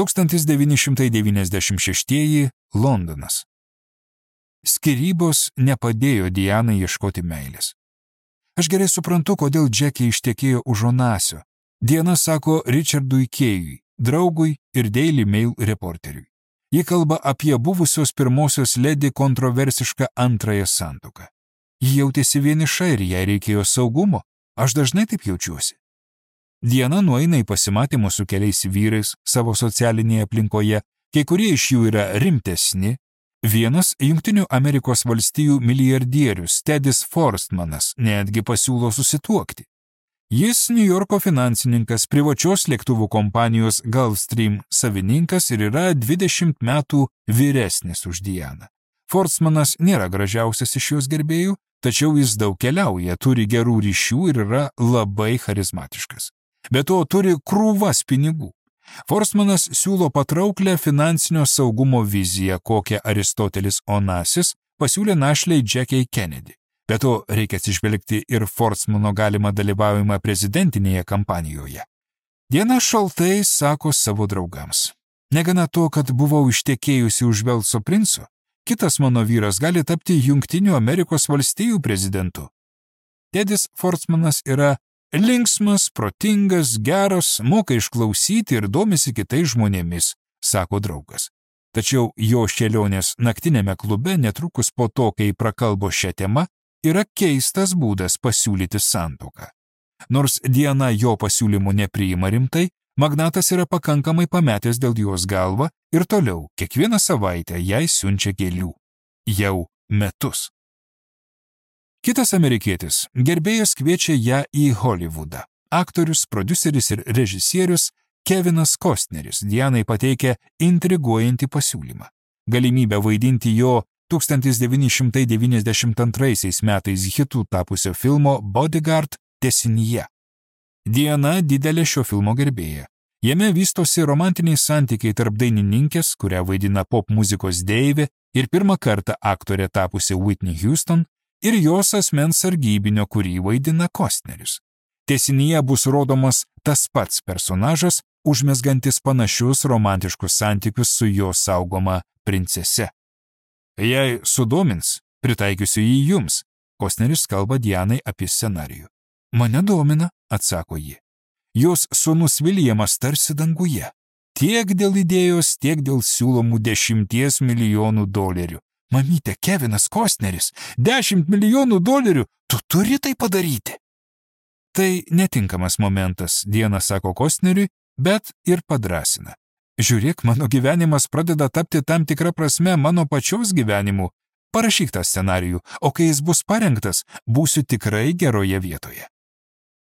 1996 Londonas. Skyrybos nepadėjo Dianai ieškoti meilės. Aš gerai suprantu, kodėl Džekė ištekėjo už Onasio. Diana sako Richardui Kėjui, draugui ir Daily Mail reporteriui. Ji kalba apie buvusios pirmosios ledi kontroversišką antrąją santuoką. Ji jautėsi vieniša ir jai reikėjo saugumo. Aš dažnai taip jaučiuosi. Diana nueina į pasimatymus su keliais vyrais savo socialinėje aplinkoje, kai kurie iš jų yra rimtesni. Vienas Jungtinių Amerikos valstijų milijardierius Tedis Forstmanas netgi pasiūlo susituokti. Jis Niujorko finansininkas, privačios lėktuvų kompanijos Gulfstream savininkas ir yra 20 metų vyresnis už Dianą. Forstmanas nėra gražiausias iš jos gerbėjų, tačiau jis daug keliauja, turi gerų ryšių ir yra labai charizmatiškas. Be to turi krūvas pinigų. Forstmanas siūlo patrauklę finansinio saugumo viziją, kokią Aristotelis Onasis pasiūlė našlei Jackie Kennedy. Be to reikia atsižvelgti ir Forstmano galimą dalyvavimą prezidentinėje kampanijoje. Diana šaltai sako savo draugams. Negana to, kad buvau ištekėjusi už Velso princo, kitas mano vyras gali tapti Jungtinių Amerikos valstijų prezidentu. Tedis Forstmanas yra linksmas, protingas, geras, moka išklausyti ir domisi kitais žmonėmis, sako draugas. Tačiau jo šėlionės naktinėme klube netrukus po to, kai prakalbo šią temą, yra keistas būdas pasiūlyti santuoką. Nors Diana jo pasiūlymų nepriima rimtai, magnatas yra pakankamai pametęs dėl jos galvą ir toliau kiekvieną savaitę jai siunčia gėlių. Jau metus. Kitas amerikietis, gerbėjas kviečia ją į Hollywoodą. Aktorius, prodiuseris ir režisierius Kevinas Kostneris Dianai pateikia intriguojantį pasiūlymą. Galimybę vaidinti jo 1992 metais hitų tapusio filmo Bodyguard tęsinyje. Diana didelė šio filmo gerbėja. Jame vystosi romantiniai santykiai tarp dainininkės, kurią vaidina pop muzikos deivė ir pirmą kartą aktorė tapusi Whitney Houston, ir jos asmens sargybinio, kurį vaidina Kostneris. Tęsinyje bus rodomas tas pats personažas, užmezgantis panašius romantiškus santykius su jo saugoma princese. Jei sudomins, pritaikysiu jį jums, Kostneris kalba Dianai apie scenarijų. Mane domina, atsako ji. Jos sūnus Viljamas tarsi danguje. Tiek dėl idėjos, tiek dėl siūlomų $10 milijonų. Mamyte, Kevinas Kostneris, $10 milijonų, tu turi tai padaryti. Tai netinkamas momentas, Diana sako Kostneriui, bet ir padrasina. Žiūrėk, mano gyvenimas pradeda tapti tam tikrą prasme mano pačios gyvenimu. Parašyk tą scenarijų, o kai jis bus parengtas, būsiu tikrai geroje vietoje.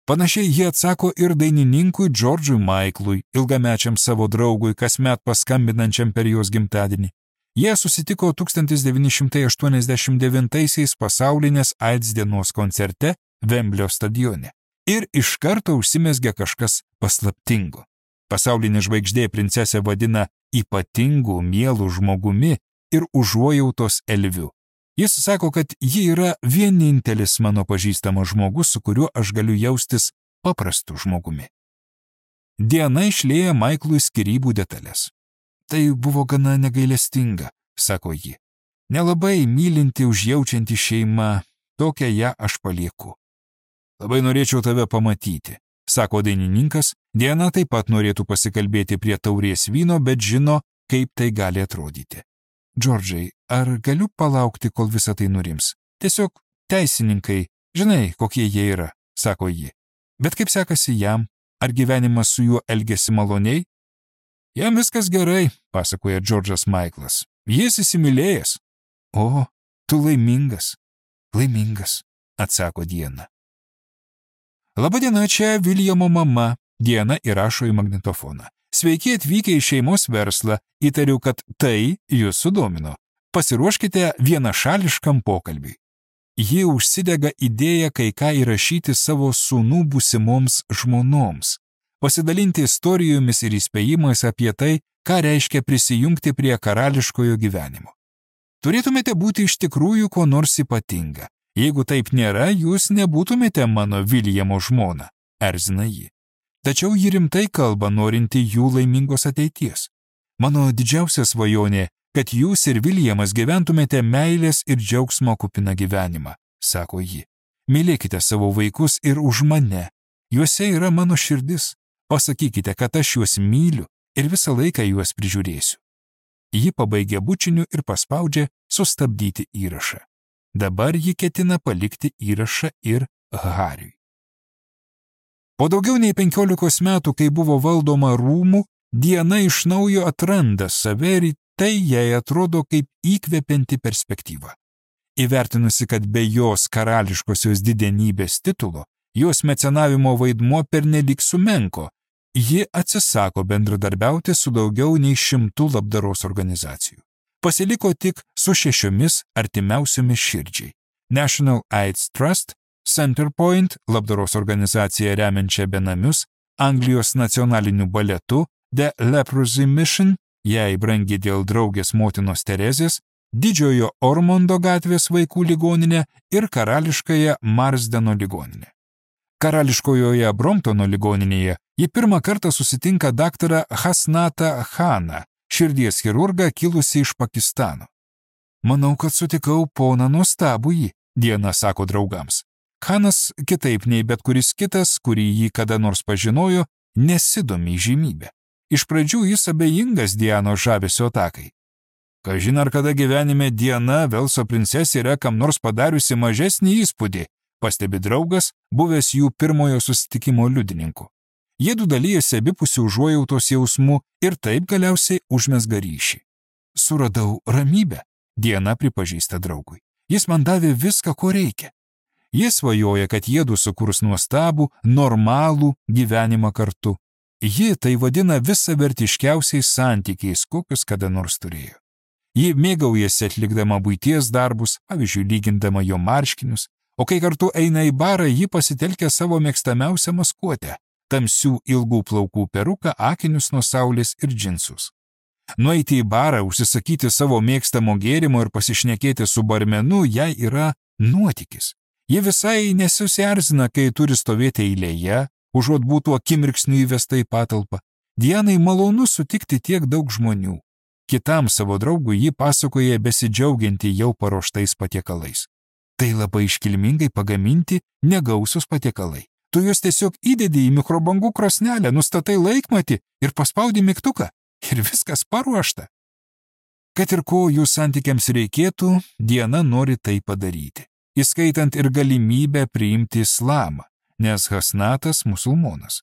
Panašiai jie atsako ir dainininkui George'ui Michael'ui, ilgamečiam savo draugui, kasmet paskambinančiam per jos gimtadienį. Jie susitiko 1989 pasaulinės AIDS dienos koncerte Vemblio stadione. Ir iš karto užsimezgė kažkas paslaptingo. Pasaulinė žvaigždė princesę vadina ypatingu, mielu žmogumi ir užuojautos elviu. Jis sako, kad ji yra vienintelis mano pažįstamas žmogus, su kuriuo aš galiu jaustis paprastu žmogumi. Diana išlieja Michael'ui skyrybų detalės. Tai buvo gana negailestinga, sako ji. Nelabai mylinti, užjaučianti šeima, tokią ją aš palieku. Labai norėčiau tave pamatyti, sako dainininkas. Diana taip pat norėtų pasikalbėti prie taurės vyno, bet žino, kaip tai gali atrodyti. Džordžai, ar galiu palaukti, kol visa tai nurims? Tiesiog teisininkai, žinai, kokie jie yra, sako ji. Bet kaip sekasi jam? Ar gyvenimas su juo elgėsi maloniai? Jam viskas gerai, pasakoja Džordžas Michaelas. Jis įsimylėjęs. O, tu laimingas. Laimingas, atsako Diana. Labadiena, čia Viljamo mama. Diana įrašo į magnetofoną. Sveiki atvykę į šeimos verslą. Įtariu, kad tai jūs sudomino. Pasiruoškite vienašališkam pokalbiui. Ji užsidega idėją kai ką įrašyti savo sūnų būsimoms žmonoms. Pasidalinti istorijomis ir įspėjimais apie tai, ką reiškia prisijungti prie karališkojo gyvenimo. Turėtumėte būti iš tikrųjų ko nors ypatinga. Jeigu taip nėra, jūs nebūtumėte mano Viljamo žmona, erzina ji. Tačiau ji rimtai kalba, norinti jų laimingos ateities. Mano didžiausia svajonė, kad jūs ir Viljamas gyventumėte meilės ir džiaugsmo kupiną gyvenimą, sako ji. Mylėkite savo vaikus ir už mane. Juose yra mano širdis. Pasakykite, kad aš juos myliu ir visą laiką juos prižiūrėsiu. Ji pabaigė bučiniu ir paspaudžia sustabdyti įrašą. Dabar ji ketina palikti įrašą ir Hariui. Po daugiau nei 15 metų, kai buvo valdoma rūmų, Diana iš naujo atranda save ir tai jai atrodo kaip įkvepianti perspektyva. Įvertinusi, kad be jos karališkosios didenybės titulo, jos mecenavimo vaidmuo pernelyg sumenko, ji atsisako bendradarbiauti su daugiau nei 100 labdaros organizacijų. Pasiliko tik su 6 artimiausiomis širdžiai. National AIDS Trust, Centerpoint, labdaros organizacija remiančia benamius, Anglijos nacionaliniu baletu, The Leprosy Mission, jai brangi dėl draugės motinos Terezės, Didžiojo Ormondo gatvės vaikų ligoninė ir Karališkąją Marsdeno ligoninė. Karališkojoje Bromptono ligoninėje ji pirmą kartą susitinka daktarą Hasnatą Khaną, širdies chirurgą kilusį iš Pakistano. Manau, kad sutikau poną nuostabųjį, Diana sako draugams. Khanas, kitaip nei bet kuris kitas, kurį jį kada nors pažinojo, nesidomi įžymybę. Iš pradžių jis abejingas Dianos žavesio atakai. Kažin ar kada gyvenime Diana, Velso princesė, yra kam nors padariusi mažesnį įspūdį, pastebi draugas, buvęs jų pirmojo susitikimo liudininku. Jiedu dalyjasi abipusių užuojautos jausmų ir taip galiausiai užmezga ryšį. Suradau ramybę, Diana pripažįsta draugui. Jis man davė viską, ko reikia. Jis svajoja, kad jiedu sukurs nuostabų, normalų gyvenimą kartu. Ji tai vadina visavertiškiausiais santykiais, kokius kada nors turėjo. Ji mėgaujasi atlikdama buities darbus, pavyzdžiui, lygindama jo marškinius, o kai kartu eina į barą, ji pasitelkia savo mėgstamiausią maskuotę – tamsių ilgų plaukų peruką, akinius nuo saulės ir džinsus. Nueiti į barą, užsisakyti savo mėgstamo gėrimo ir pasišnekėti su barmenu jai yra nuotykis. Ji visai nesusierzina, kai turi stovėti eilėje, užuot būtų akimirksniu įvesta į patalpą. Dianai malonu sutikti tiek daug žmonių. Kitam savo draugui ji pasakoja besidžiaugianti jau paruoštais patiekalais. Tai labai iškilmingai pagaminti negausus patiekalai. Tu juos tiesiog įdedi į mikrobangų krosnelę, nustatai laikmatį ir paspaudi mygtuką. Ir viskas paruošta. Kad ir ko jų santykiams reikėtų, Diana nori tai padaryti, įskaitant ir galimybę priimti islamą, nes Hasnatas musulmonas.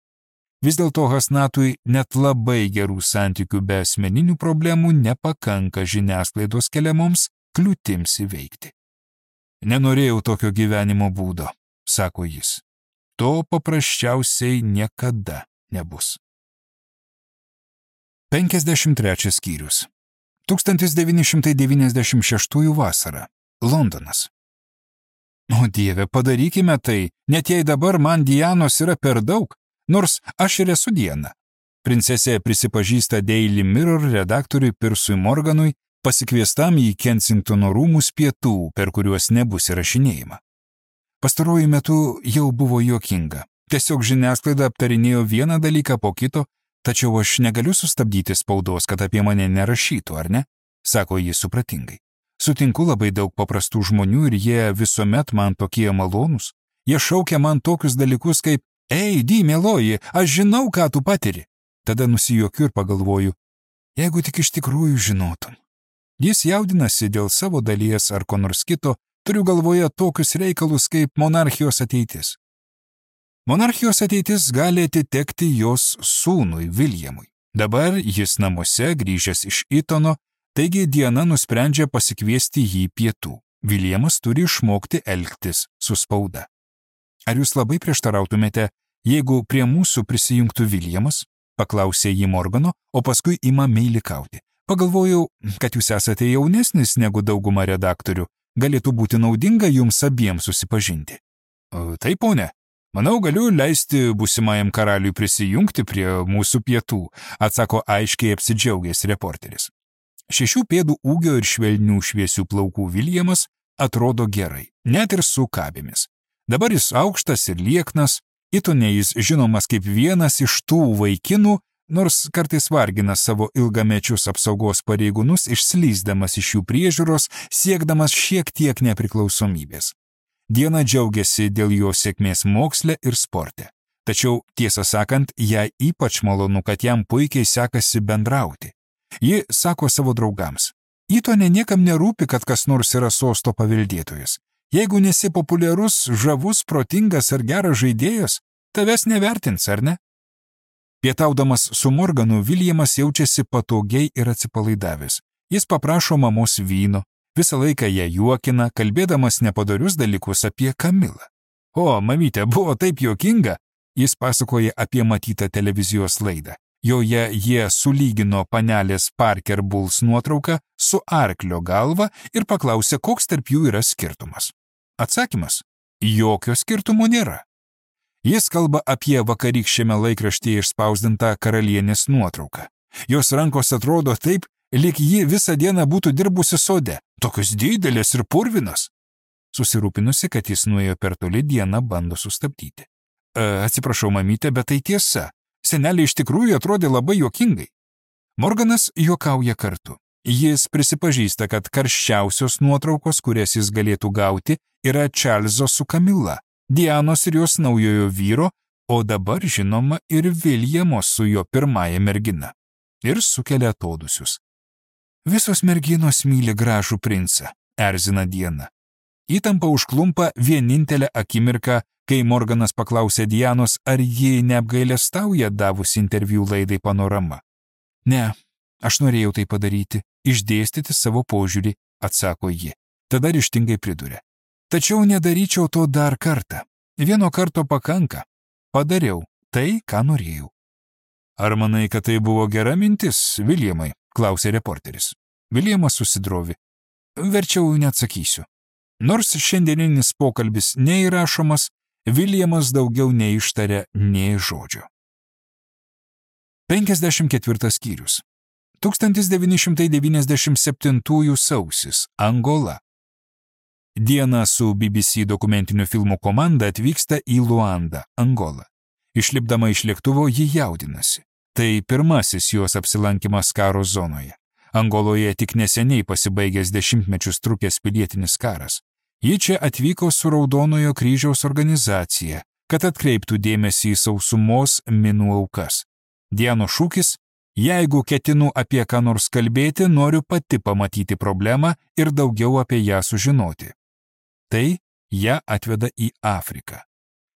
Vis dėlto Hasnatui net labai gerų santykių be asmeninių problemų nepakanka žiniasklaidos keliamoms kliūtims įveikti. Nenorėjau tokio gyvenimo būdo, sako jis. To paprasčiausiai niekada nebus. 53 skyrius. 1996 vasara. Londonas. O Dieve, padarykime tai, net jei dabar man Dianos yra per daug, nors aš ir esu Diana. Princesė prisipažįsta Daily Mirror redaktoriui Pirsui Morganui, pasikviestam į Kensingtono rūmus pietų, per kuriuos nebus įrašinėjama. Pastaruoju metu jau buvo juokinga. Tiesiog žiniasklaida aptarinėjo vieną dalyką po kito, tačiau aš negaliu sustabdyti spaudos, kad apie mane nerašytų, ar ne? Sako jis supratingai. Sutinku labai daug paprastų žmonių ir jie visuomet man tokie malonūs. Jie šaukia man tokius dalykus kaip Ei, Di, mieloji, aš žinau, ką tu patiri. Tada nusijuokiu ir pagalvoju, jeigu tik iš tikrųjų žinotum. Jis jaudinasi dėl savo dalies ar ko nors kito, turiu galvoje tokius reikalus kaip monarchijos ateitis. Monarchijos ateitis gali atitekti jos sūnui Viljamui. Dabar jis namuose, grįžęs iš Itono, taigi Diana nusprendžia pasikviesti jį pietų. Viljamas turi išmokti elgtis su spauda. Ar jūs labai prieštarautumėte, jeigu prie mūsų prisijungtų Viljamas? Paklausė jį Morgano, o paskui ima meilikauti. Pagalvojau, kad jūs esate jaunesnis negu dauguma redaktorių. Galėtų būti naudinga jums abiems susipažinti. Taip, ponė. Manau, galiu leisti būsimajam karaliui prisijungti prie mūsų pietų, atsako aiškiai apsidžiaugęs reporteris. 6 pėdų ūgio ir švelnių šviesių plaukų Viljamas atrodo gerai, net ir su kabėmis. Dabar jis aukštas ir lieknas, Itone jis žinomas kaip vienas iš tų vaikinų, nors kartais vargina savo ilgamečius apsaugos pareigūnus, išslysdamas iš jų priežiūros, siekdamas šiek tiek nepriklausomybės. Diana džiaugiasi dėl jo sėkmės moksle ir sporte. Tačiau, tiesą sakant, jai ypač malonu, kad jam puikiai sekasi bendrauti. Ji sako savo draugams: Itone niekam nerūpi, kad kas nors yra sosto paveldėtojas. Jeigu nesi populiarus, žavus, protingas ar geras žaidėjas, tavęs nevertins, ar ne? Pietaudamas su Morganu, Viljamas jaučiasi patogiai ir atsipalaidavęs. Jis paprašo mamos vyno, visą laiką ją juokina, kalbėdamas nepadorius dalykus apie Kamilą. O, mamytė, buvo taip juokinga, jis pasakoja apie matytą televizijos laidą. Joje jie sulygino panelės Parker Bowles nuotrauką su arklio galva ir paklausė, koks tarp jų yra skirtumas. Atsakymas: jokio skirtumo nėra. Jis kalba apie vakarykščiame laikraštyje išspausdintą karalienės nuotrauką. Jos rankos atrodo taip, lyg ji visą dieną būtų dirbusi sode, tokios didelės ir purvinos. Susirūpinusi, kad jis nuėjo per toli, Diana bando sustabdyti. Atsiprašau, mamytė, bet tai tiesa. Senelė iš tikrųjų atrodė labai juokingai. Morganas juokauja kartu. Jis prisipažįsta, kad karščiausios nuotraukos, kurias jis galėtų gauti, yra Čarlzo su Kamila, Dianos ir jos naujojo vyro, o dabar žinoma ir Viljamo su jo pirmąja mergina. Ir sukelia atodusius. Visos merginos myli gražų princą, erzina Diana. Įtampa užklumpa vienintelę akimirką, kai Morganas paklausė Dianos, ar ji neapgailestauja davusi interviu laidai Panorama. Ne, aš norėjau tai padaryti, išdėstyti savo požiūrį, atsako ji. Tada ryžtingai priduria. Tačiau nedaryčiau to dar kartą. Vieno karto pakanka. Padariau tai, ką norėjau. Ar manai, kad tai buvo gera mintis, Viljamai? Klausė reporteris. Viljamas susidrovi. Verčiau neatsakysiu. Nors šiandieninis pokalbis neįrašomas, Viljamas daugiau neištarė nei žodžio. 54 skyrius. 1997 sausis. Angola. Diana su BBC dokumentinių filmų komanda atvyksta į Luandą, Angolą. Išlipdama iš lėktuvo, ji jaudinasi. Tai pirmasis jos apsilankimas karo zonoje. Angoloje tik neseniai pasibaigęs dešimtmečius trukęs pilietinis karas. Ji čia atvyko su Raudonojo kryžiaus organizacija, kad atkreiptų dėmesį į sausumos minų aukas. Dianos šūkis: jeigu ketinu apie ką nors kalbėti, noriu pati pamatyti problemą ir daugiau apie ją sužinoti. Tai ją atveda į Afriką.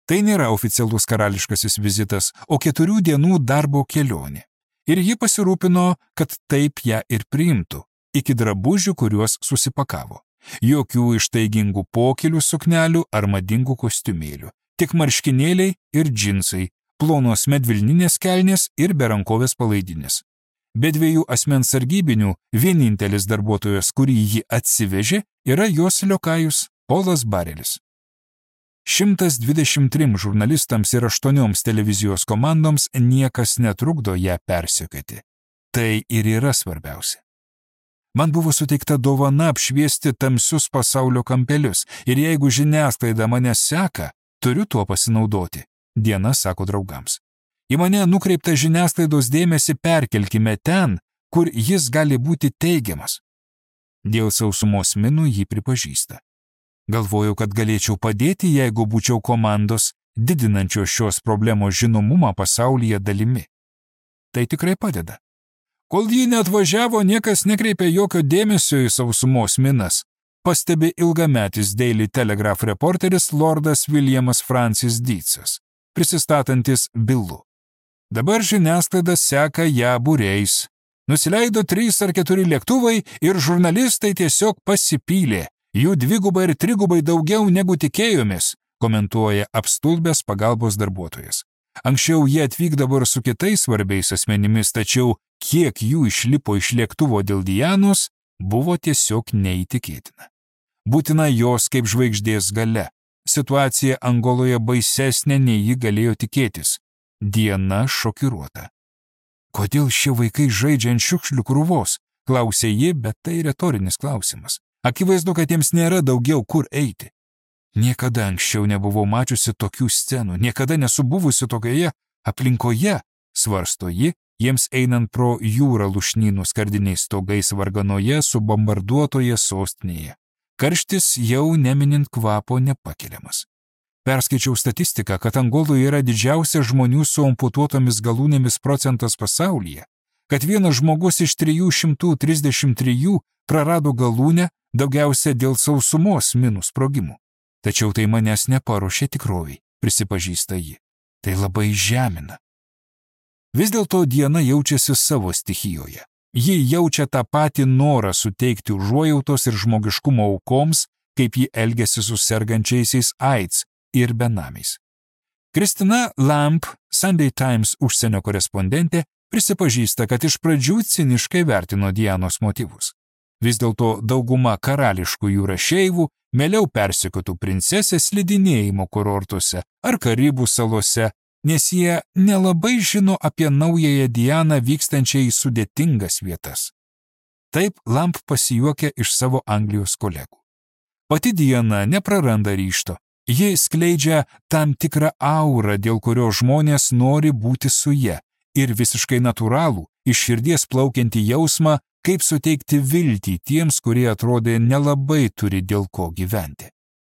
Tai nėra oficialus karališkasis vizitas, o 4 dienų darbo kelionė. Ir ji pasirūpino, kad taip ją ir priimtų, iki drabužių, kuriuos susipakavo. Jokių ištaigingų pokelių suknelių ar madingų kostiumėlių, tik marškinėliai ir džinsai, plonos medvilninės kelnės ir berankovės palaidinės. Be 2 asmens sargybinių, vienintelis darbuotojas, kurį ji atsivežė, yra jos liokajus Polas Barelis. 123 žurnalistams ir 8 televizijos komandoms niekas netrukdo ją persekioti. Tai ir yra svarbiausia. Man buvo suteikta dovana apšviesti tamsius pasaulio kampelius ir jeigu žiniasklaida mane seka, turiu tuo pasinaudoti, Diana sako draugams. Į mane nukreiptą žiniasklaidos dėmesį perkelkime ten, kur jis gali būti teigiamas. Dėl sausumos minų jį pripažįsta. Galvojau, kad galėčiau padėti, jeigu būčiau komandos, didinančios šios problemos žinomumą pasaulyje dalimi. Tai tikrai padeda. Kol ji neatvažiavo, niekas nekreipė jokio dėmesio į sausumos minas, pastebi ilgametis Daily Telegraph reporteris Lordas Viljamas Francis Deatsas, prisistatantis Billu. Dabar žiniasklaida seka ją būriais. Nusileido 3 ar 4 lėktuvai ir žurnalistai tiesiog pasipylė. Jų 2 ir 3 daugiau negu tikėjomės, komentuoja apstulbęs pagalbos darbuotojas. Anksčiau jie atvykdavo ir su kitais svarbiais asmenimis, tačiau kiek jų išlipo iš lėktuvo dėl Dianos, buvo tiesiog neįtikėtina. Būtina jos kaip žvaigždės gale. Situacija Angoloje baisesnė, nei ji galėjo tikėtis. Diana šokiruota. Kodėl šie vaikai žaidžia ant šiukšlių krūvos? Klausė ji, bet tai retorinis klausimas. Akivaizdu, kad jiems nėra daugiau kur eiti. Niekada anksčiau nebuvau mačiusi tokių scenų, niekada nesu buvusi tokioje aplinkoje, svarsto ji, jiems einant pro jūrą lušnynų skardiniais stogais varganoje subombarduotoje sostinėje. Karštis jau neminint kvapo nepakeliamas. Perskaičiau statistiką, kad Angoloje yra didžiausias žmonių su amputuotomis galūnėmis procentas pasaulyje, kad vienas žmogus iš 333 prarado galūnę daugiausia dėl sausumos minų sprogimų. Tačiau tai manęs neparuošė tikroviai, prisipažįsta ji. Tai labai žemina. Vis dėlto Diana jaučiasi savo stichijoje. Ji jaučia tą patį norą suteikti užuojautos ir žmogiškumo aukoms, kaip ji elgiasi su sergančiaisiais AIDS ir benamiais. Kristina Lamp, Sunday Times užsienio korespondentė, prisipažįsta, kad iš pradžių ciniškai vertino Dianos motyvus. Vis dėlto dauguma karališkųjų rašeivų mieliau persekiotų princesę slidinėjimo kurortuose ar Karibų salose, nes jie nelabai žino apie naująją Dianą vykstančią į sudėtingas vietas. Taip Lamp pasijuokia iš savo Anglijos kolegų. Pati Diana nepraranda ryžto. Ji skleidžia tam tikrą aurą, dėl kurio žmonės nori būti su ja, ir visiškai natūralų, iš širdies plaukiantį jausmą, kaip suteikti viltį tiems, kurie atrodė nelabai turi dėl ko gyventi.